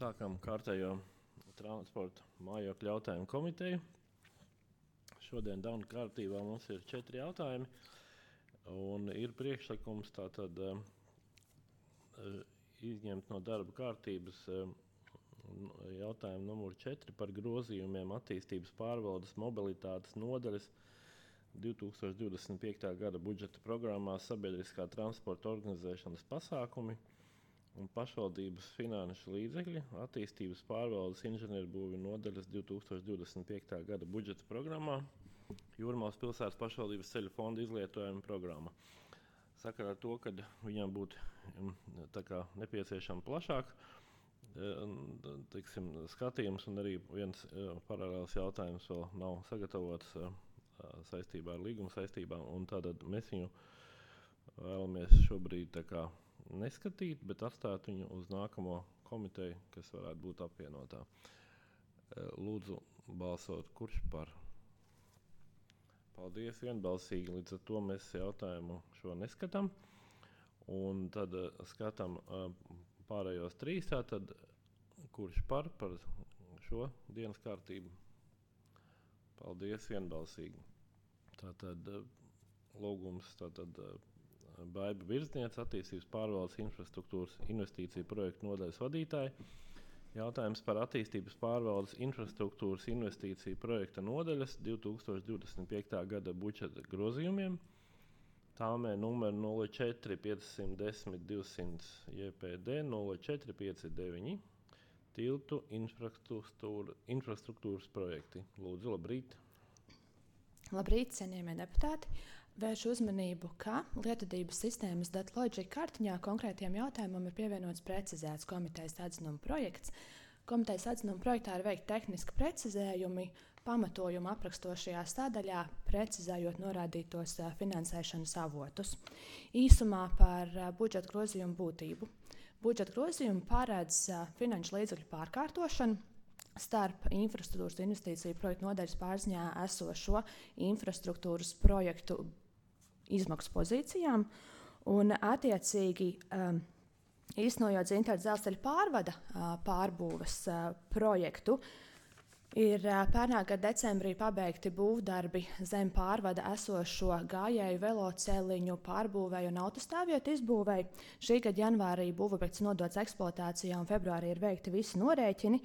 Sākam kārtējo transporta mājokļu jautājumu komiteju. Šodien darba kārtībā mums ir 4 jautājumi. Un ir priekšlikums tātad izņemt no darba kārtības jautājumu numuru 4 par grozījumiem attīstības pārvaldes mobilitātes nodaļas 2025. gada budžeta programmā sabiedriskā transporta organizēšanas pasākumi un pašvaldības finanšu līdzekļi attīstības pārvaldes inženierbūvju nodaļas 2025. gada budžeta programmā Jūrmalas pilsētas pašvaldības ceļu fonda izlietojuma programma. Sakarā ar to, ka viņam būtu nepieciešama plašāk skatījums un arī viens paralēls jautājums vēl nav sagatavots saistībā ar līguma saistībām, un tātad mēs viņu vēlamies šobrīd neskatīt, bet atstāt viņu uz nākamo komiteju, kas varētu būt apvienotā. Lūdzu balsot, kurš par? Paldies, vienbalsīgi, līdz ar to mēs jautājumu šo neskatām. Un tad skatām pārējos 3, tātad kurš par šo dienas kārtību? Paldies, vienbalsīgi. Tātad lūgums, Baiba Virzniece, attīstības pārvaldes infrastruktūras investīciju projektu nodaļas vadītāja. Jautājums par attīstības pārvaldes infrastruktūras investīciju projekta nodaļas 2025. gada budžeta grozījumiem. Tāmē numuru 04 510 200 JPD 0459 tiltu infrastruktūras projekti. Lūdzu, labrīt. Labrīt, cienījamie deputāti. Vēršu uzmanību, ka lietotības sistēmas DataLogic kartiņā konkrētiem jautājumam ir pievienots precizēts komitejas atzinuma projekts. Komitejas atzinuma projektā ir veikti tehniski precizējumi, pamatojumu aprakstošajā sadaļā, precizējot norādītos finansēšanas avotus. Īsumā par budžeta grozījumu būtību. Budžeta grozījumi paredz finanšu līdzekļu pārkārtošanu starp infrastruktūras investīciju projektu nodaļas pārziņā esošo infrastruktūras projektu izmaksu pozīcijām un attiecīgi īstenojot Zintaru dzelzceļa pārvada pārbūves projektu, ir pērnā gada decembrī pabeigti būvdarbi zem pārvada esošo gājēju veloceliņu pārbūvēju un autostāvvietu izbūvēju. Šī gada janvārī būvobjekts nodots eksploatācijā un februārī ir veikti visi norēķini.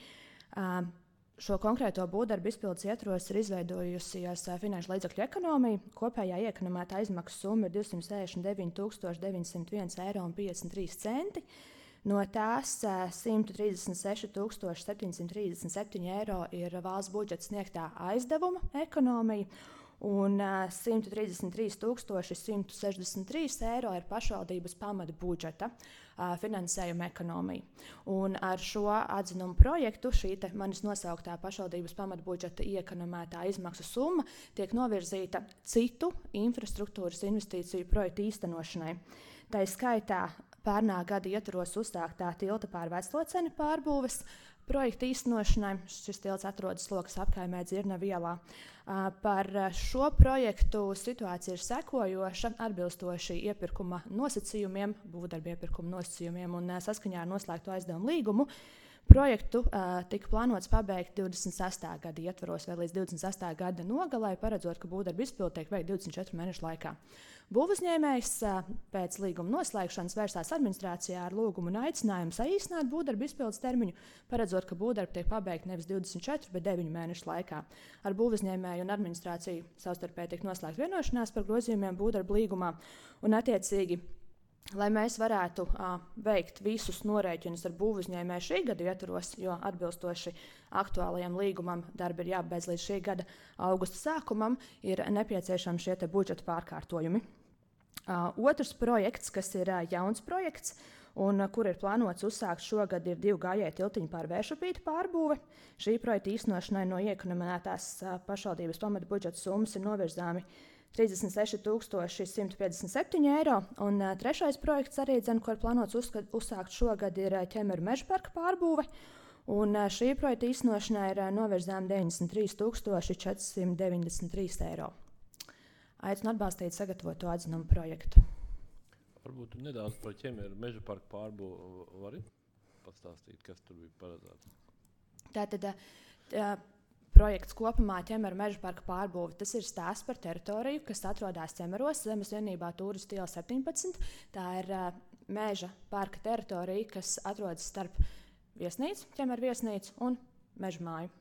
Šo konkrēto būvdarbu izpildes ietvaros ir izveidojusies finanšu līdzekļu ekonomija. Kopējā iekonomētā izmaksu summa ir 269 901,53 €. No tās 136 737 € ir valsts budžeta sniegtā aizdevuma ekonomija un 133 163 € ir pašvaldības pamata budžeta finansējuma ekonomija. Un ar šo atzinumu projektu šī manis nosauktā pašvaldības pamata budžeta iekonomētā izmaksu summa tiek novirzīta citu infrastruktūras investīciju projektu īstenošanai. Tā skaitā pērnā gada ietvaros uzsāktā tilta pār Vecloceni pārbūves projekta īstenošanai. Šis tilts atrodas Lokas apkaimē Dzirnavu ielā. Par šo projektu situācija ir sekojoša, atbilstoši iepirkuma nosacījumiem, būvdarba iepirkuma nosacījumiem un saskaņā ar noslēgto aizdevumu līgumu. Projektu tika plānots pabeigt 26. gada ietvaros vai līdz 28. gada nogalē, paredzot, ka būvdarba izpilde tiek veikta 24 mēnešu laikā. Būvuzņēmējs pēc līguma noslēgšanas vērsās administrācijā ar lūgumu un aicinājumu saīsināt būvdarba izpildes termiņu, paredzot, ka būvdarba tiek pabeigta nevis 24, bet 9 mēnešu laikā. Ar būvuzņēmēju un administrāciju savstarpēji tiek noslēgta vienošanās par grozījumiem būvdarba līgumā un attiecīgi, lai mēs varētu veikt visus norēķinus ar būvuzņēmēju šī gada ietvaros, jo atbilstoši aktuālajam līgumam darbi ir jābeidz līdz šī gada augusta sākumam, ir nepieciešami šie budžeta pārkārtojumi. Otrs projekts, kas ir jauns projekts un kur ir plānots uzsākt šogad, ir 2 gājēju tiltiņu pār Vēršupīti pārbūve. Šī projekta īstenošanai no iekonomētās pašvaldības pamata budžeta summas ir novirzāmi 36 157 €. Un trešais projekts arī, ko ir plānots uzsākt šogad, ir Ķemeru meža parka pārbūve. Un šī projekta īstenošanai ir novirzām 93 493 €. Aicinu atbalstīt sagatavoto atzinumu projektu. Varbūt nedaudz par Ķemeru meža parku pārbūvi vari? pastāstīt, kas tur bija paredzēts? Tātad projekts kopumā Ķemeru meža parka pārbūve. Tas ir stāsts par teritoriju, kas atrodas Ķemeros, zemes vienībā Turistu iela 17. Tā ir meža parka teritorija, kas atrodas starp viesnīcu, Ķemeru viesnīcu un meža māju.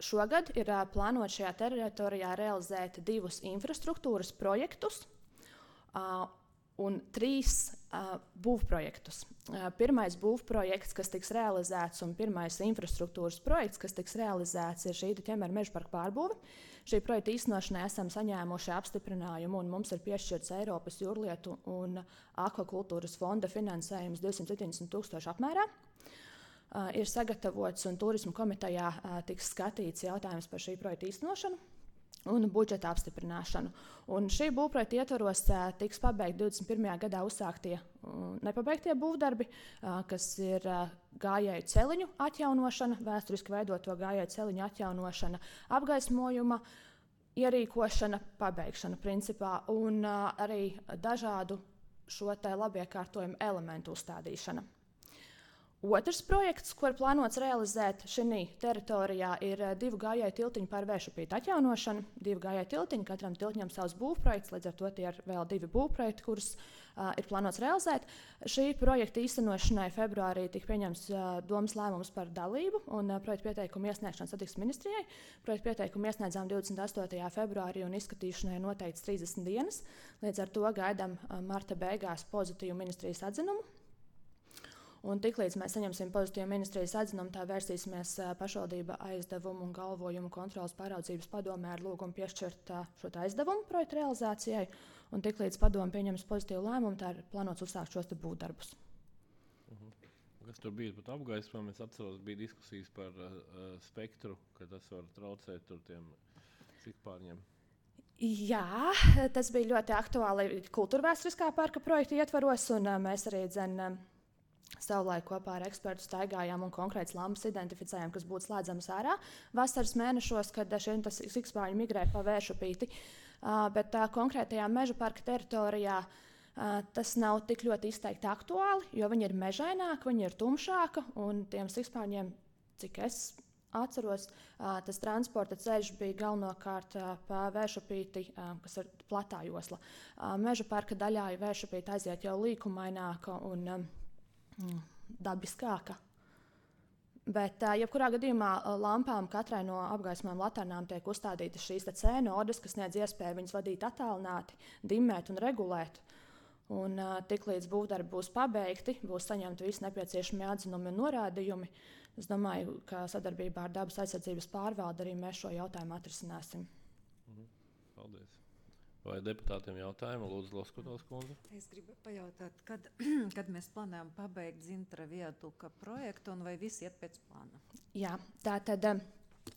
Šogad ir plānots šajā teritorijā realizēt 2 infrastruktūras projektus un 3 būvprojektus. Pirmais būvprojekts, kas tiks realizēts, un pirmais infrastruktūras projekts, kas tiks realizēts, ir šī Ķemeru meža parka pārbūve. Šī projekta īstenošanai esam saņēmuši apstiprinājumu, un mums ir piešķirts Eiropas jūrlietu un akvakultūras fonda finansējums 270,000 apmērā. Ir sagatavots un turismu komitejā tiks skatīts jautājums par šī projekta īstenošanu un budžeta apstiprināšanu. Un šī būvprojekta ietvaros tiks pabeigti 21. gadā uzsāktie nepabeigtie būvdarbi, kas ir gājēju celiņu atjaunošana, vēsturiski veidoto gājēju celiņu atjaunošana, apgaismojuma ierīkošana, pabeigšana principā, un arī dažādu šo te labiekārtojumu elementu uzstādīšana. Otrs projekts, ko ir plānots realizēt šajā teritorijā, ir 2 gājēju tiltiņu pār Vēršupīti atjaunošana. 2 gājēju tiltiņi, katram tiltiņam savs būvprojekts, līdz ar to tie ir vēl 2 būvprojekti, kurus ir plānots realizēt. Šī projekta īstenošanai februārī tika pieņemts domas lēmums par dalību un projekta pieteikumu iesniegšanu Satiksmes ministrijai. Projekta pieteikumu iesniedzām 28. februārī un izskatīšanai noteikts 30 dienas. Līdz ar to gaidām marta beigās pozitīvu ministrijas atzinumu. Un tiklīdz mēs saņemsim pozitīvu ministrijas atzinumu, tā vērsīsimies pašvaldība aizdevumu un galvojumu kontrolas pāraudzības padomē ar lūgumu piešķirt šo aizdevumu projekta realizācijai. Un tiklīdz padome pieņems pozitīvu lēmumu, tā ir plānots uzsākt šos būvdarbus. Kas tur bija pat apgaismojumi? Es atceros, bija diskusijas par spektru, ka tas var traucēt tur tiem cikpārņiem. Jā, tas bija ļoti aktuāli kultūrvēsturiskā parka projekta ietvaros, un mēs arī savulaik kopā ar ekspertu staigājām un konkrētas lampas identificējām, kas būtu slēdzamas ārā vasaras mēnešos, kad šie cikpārņi migrē pa Vēršupīti. Bet konkrētajā meža parka teritorijā tas nav tik ļoti izteikti aktuāli, jo viņi ir mežaināki, viņi ir tumšāki, un tiem cikpārņiem, cik es atceros, tas transporta ceļš bija galvenokārt pa Vēršupīti, kas ir platā josla. Meža parka daļā Vēršupīti aiziet jau līkumaināka un dabiskāka. Bet, jebkurā gadījumā, lampām katrai no apgaismojuma laternām tiek uzstādītas šīs C-nodes, kas sniedz iespēju viņas vadīt attālināti, dimmēt un regulēt. Un tiklīdz būvdarbi būs pabeigti, būs saņemti visi nepieciešamie atzinumi un norādījumi. Es domāju, ka sadarbībā ar dabas aizsardzības pārvaldi arī mēs šo jautājumu atrisināsim. Paldies. Vai deputātiem jautājumi? Lūdzu, Loskotovs kundze. Es gribu pajautāt, kad mēs plānojam pabeigt Zintra viaduka projektu un vai viss iet pēc plāna? Jā, tātad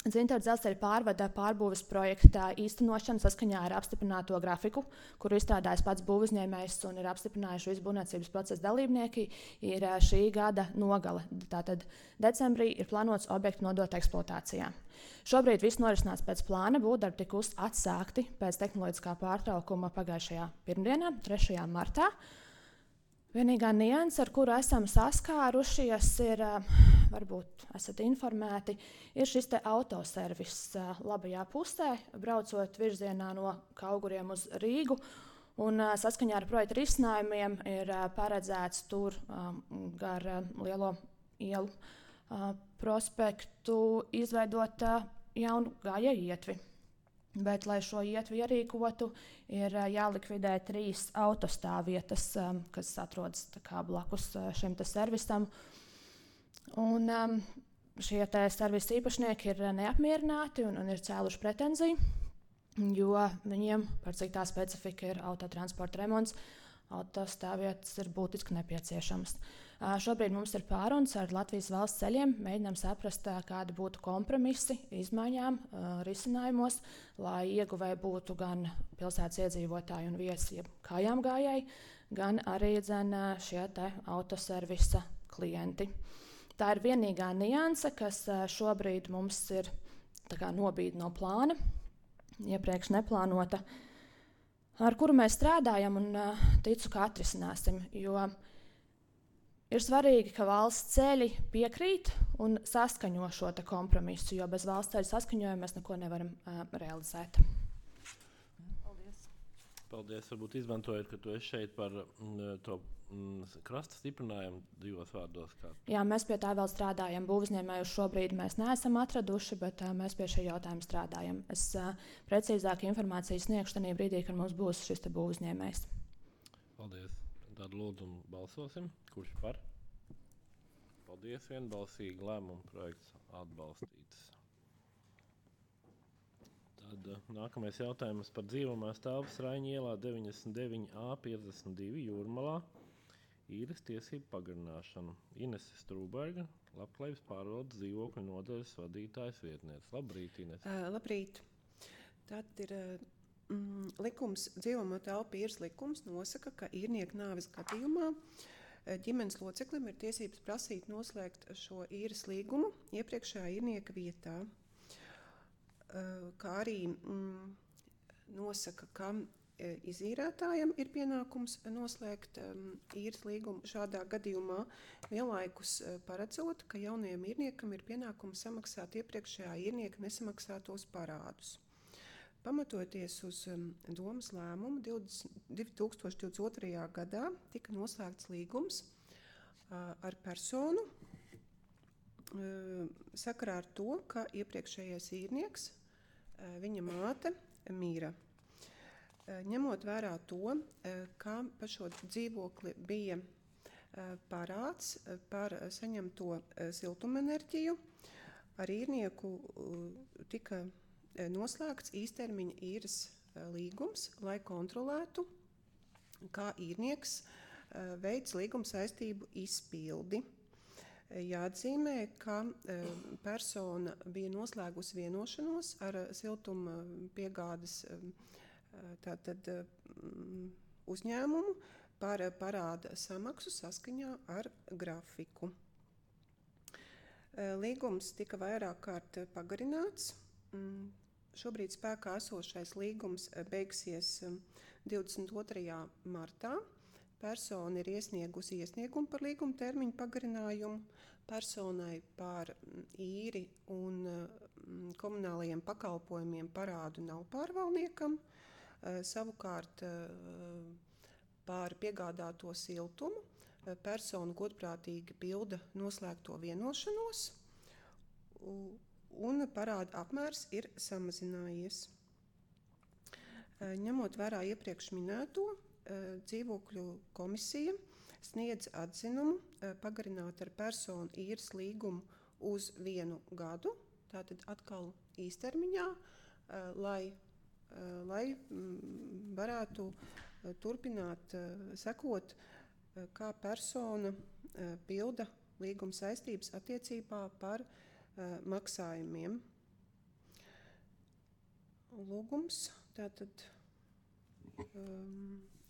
Zintra dzelzceļa pārvada pārbūves projekta īstenošana saskaņā ar apstiprināto grafiku, kuru izstrādājis pats būvuzņēmējs un ir apstiprinājuši visi būvniecības procesa dalībnieki, ir šī gada nogale. Tātad decembrī ir plānots objektu nodot eksploatācijā. Šobrīd viss norisinās pēc plāna, būvdarbi tika atsākti pēc tehnoloģiskā pārtraukuma pagājušajā pirmdienā, 3. martā. Vienīgā nianse, ar kuru esam saskārušies, ir, varbūt esat informēti, ir šis te autoservis labajā pusē, braucot virzienā no Kauguriem uz Rīgu. Un saskaņā ar projekta risinājumiem ir paredzēts tur gar Lielo ielu prospektu izveidot jaunu gājēju ietvi. Bet, lai šo ietvi ierīkotu, ir jālikvidē 3 autostāvvietas, kas atrodas blakus šim servisam. Un šie servisa īpašnieki ir neapmierināti un ir cēluši pretenziju, jo viņiem, par cik tā specifika ir autotransporta remonts, autostāvvietas ir būtiski nepieciešamas. Šobrīd mums ir pārunas ar Latvijas valsts ceļiem, mēģinām saprast, kādi būtu kompromisi izmaiņām, risinājumos, lai ieguvēji būtu gan pilsētas iedzīvotāji un viesi, jeb kājām gājēji, gan arī šie te autoservisa klienti. Tā ir vienīgā nianse, kas šobrīd mums ir nobīde no plāna, iepriekš neplānota, ar kuru mēs strādājam un ticu, ka atrisināsim, jo Ir svarīgi, ka valsts ceļi piekrīt un saskaņo šo kompromisu, jo bez valsts ceļu saskaņojuma mēs neko nevaram realizēt. Paldies. Varbūt izmantojot, ka tu esi šeit par to krasta stiprinājumu 2 vārdos. Jā, mēs pie tā vēl strādājam. Būvniecēju šobrīd mēs neesam atraduši, bet mēs pie šī jautājuma strādājam. Es precīzāku informāciju sniegšu tajā brīdī, kad mums būs šis būvniecējs. Paldies. Tad lūdzu balsosim. Kurš par? Paldies. Vienbalsīgi lēmumu projekts atbalstīts. Tad nākamais jautājums par dzīvojamās telpas Raņa ielā 99A52 Jūrmalā. Īres tiesību pagarināšanu. Inese Strūberga, Labklājības pārvaldes dzīvokļu nodaļas vadītājas vietniece. Labrīt, Inese. Labrīt. Tad ir likums, dzīvojamo telpu īres likums nosaka, ka īrnieka nāves gadījumā ģimenes loceklim ir tiesības prasīt noslēgt šo īres līgumu iepriekšējā īrnieka vietā. Kā arī nosaka, ka izīrētājam ir pienākums noslēgt īres līgumu šādā gadījumā, vienlaikus paredzot, ka jaunajam īrniekam ir pienākums samaksāt iepriekšējā īrnieka nesamaksātos parādus. Pamatojoties uz domas lēmumu 2022. gadā tika noslēgts līgums ar personu sakarā ar to, ka iepriekšējais īrnieks, viņa māte, mīra. Ņemot vērā to, ka par šo dzīvokli bija parāds par saņemto siltumenerģiju, ar īrnieku tika noslēgts īstermiņa īres līgums, lai kontrolētu, kā īrnieks veids līguma saistību izpildi. Jāatzīmē, ka persona bija noslēgusi vienošanos ar siltuma piegādes uzņēmumu par parāda samaksu saskaņā ar grafiku. Līgums tika vairāk kārt pagarināts. Šobrīd spēkā esošais līgums beigsies 22. martā. Persona ir iesniegusi iesniegumu par līguma termiņu pagarinājumu. Personai par īri un komunālajiem pakalpojumiem parādu nav pārvaldniekam. Savukārt par piegādāto siltumu persona godprātīgi pilda noslēgto vienošanos un parāda apmērs ir samazinājies. Ņemot vērā iepriekš minēto, dzīvokļu komisija sniedz atzinumu pagarināt ar personu īres līgumu uz 1 gadu, tātad atkal īstermiņā, lai varētu turpināt sekot, kā persona pilda līguma saistības attiecībā par maksājumiem. Lūgums tātad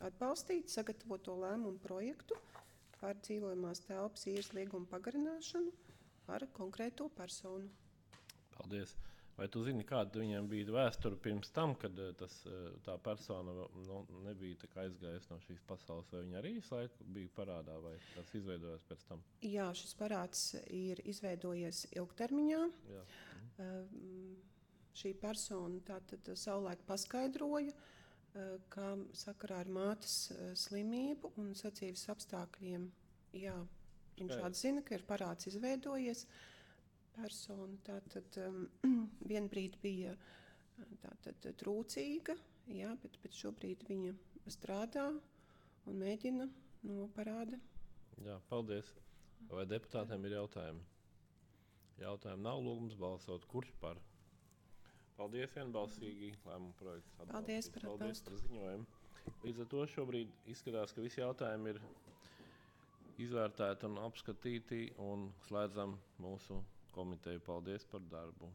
atbalstīt sagatavoto lēmumu projektu par dzīvojamās telpas īres līguma pagarināšanu ar konkrēto personu. Paldies. Vai tu zini, kāda viņam bija vēsture pirms tam, kad tā persona nebija aizgājusi no šīs pasaules, vai viņa arī visu laiku bija parādā, vai tas izveidojās pēc tam? Jā, šis parāds ir izveidojies ilgtermiņā. Jā. Šī persona tātad savulaik paskaidroja, ka sakarā ar mātes slimību un sadzīves apstākļiem, jā, viņš atzina, ka ir parāds izveidojies. Persona tātad vienbrīd bija tātad trūcīga, jā, bet šobrīd viņa strādā un mēģina no parāda. Jā, paldies. Vai deputātiem ir jautājumi? Jautājumi nav, lūgums balsot. Kurš par? Paldies, vienbalsīgi lēmumu projekts atbalstīt. Paldies par atbalstu. Paldies par ziņojumu. Līdz ar to šobrīd izskatās, ka visi jautājumi ir izvērtēti un apskatīti un slēdzam mūsu komiteju. Paldies par darbu.